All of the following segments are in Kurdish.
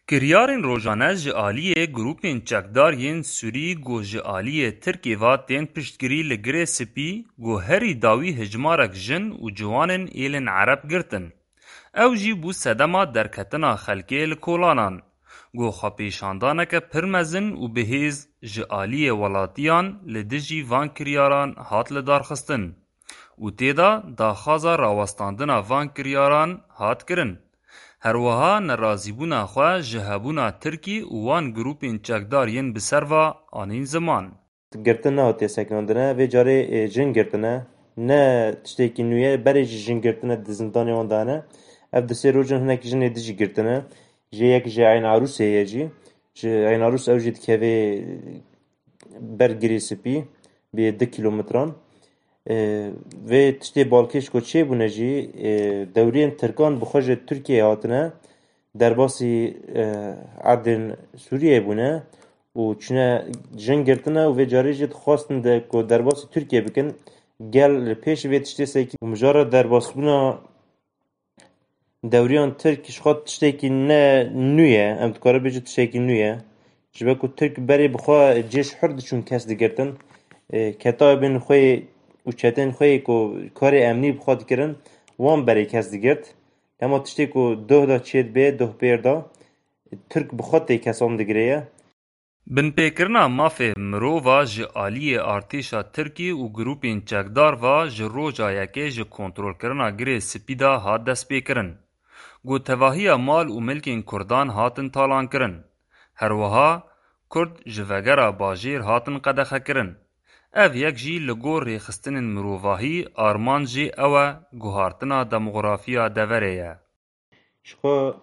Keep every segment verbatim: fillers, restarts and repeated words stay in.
Kiryarên rojane ji aliyê grûpên çekdar yên Sûrî ku ji aliyê Tirkê ve tên piştgirî li Girê Spî ku herî dawî hejmarek jin û ciwanên êlên Ereb girtin. Ew jî bû sedema derketina xelkê li kolanan, ku xwepêşandaneke pir mezin û bihêz ji aliyê welatiyan li dijî van kiryaran hat lidarxistin û tê de daxwaza rawestandina van kiryaran hat kirin. Her wiha nerazîbûna xwe ji hebûna Tirkî û wan grûpên çekdar yên bi ser ve anîn ziman. Girtin nehatiye sekinandine, vê carê, e, jin girtine. Ne tiştekî nû ye, berê jî jin girtine di zindanê wan de hene. Ev di sê rojan hinek jinê din jî girtine. Jê yek ji Eyn Arûsê ye jî. Ji Eyn Arûs ew jî dikeve ber Girê Spî, bê du kîlometran. E, vê tiştê balkêş ku çêbûne jî, e, dewriyên Tirkan bi xwe ji Tirkiyeyê hatine, derbasî, e, erdên Sûriyeyê bûne û çûne jin girtine û vê carê jî dixwestin de ku derbasî Tirkiyê bikin. Gel li pêş vê tiştê sekî û mijara derbasbûna dewriyan Tirk ji xwe tiştekî ne nû ye, em dikare bêje tiştekî nû ye. Ji ber ku Tirk berê bi xwe cêş hur diçûn kes digirtin. E, ketayê bên xwe û çetên xwe yê ku karê emnî bi xwe dikirin, wan berê kes digirt. Lema tiştê ku doh da çêdibe, doh pêr da, Tirk bi xwe tê kesan digire ye. Binpêkirina mafê mirova ji aliyê artêşa Tirkî û grûpên çekdar ve ji roja yekê ji kontrolkirina Girê Spî de hat destpêkirin. Ku tevahiya mal û milkên Kurdan hatin talankirin. Her wiha Kurd ji vegera bajêr hatin qedexekirin. Ev yek jî li gor rêxistinên mirovahî armancê ew e, guhartina demografiya deverê ye. Ji xwe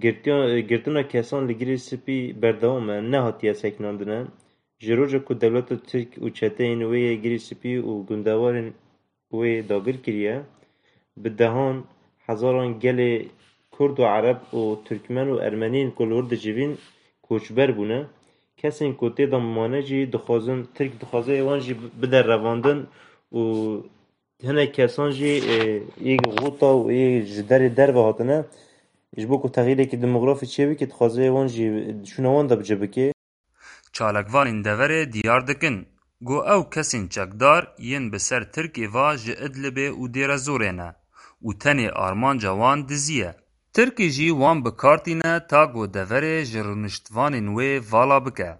girtiya-, girtina kesan li Girê Spî berdewam e, nehatiye sekinandine. Ji roja ku dewleta Tirk û çeteyên wê yê Girê Spî û gundewarên wê dagir kiriye, bi dehan hezaran gelê Kurd û Ereb û Tirkmen û Ermeniyên ku li wir dicivîn koçber bûne. Kesên ku tê de mane jî dixwazin, Tirk dixwaze wan jî bide revandin û hinek kesan jî, e, yê xûta û yê ji derê derve hatine, ji bo ku texîrekî demografî çêbike, dixwaze wan jî çûna wan de bi cih bike. Çalakvanên deverê diyar dikin ku ew kesên çekdar yên bi ser Tirkê ve ji Idlibê û Dêrezorê ne û tenê armanca wan dizî ye. Tirkî jî wan bi kar tîne ta ku deverê ji rûniştvanên wê vala bike.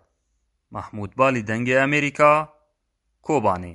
Mahmûd Balî, Dengê Amerîka, Kobanê.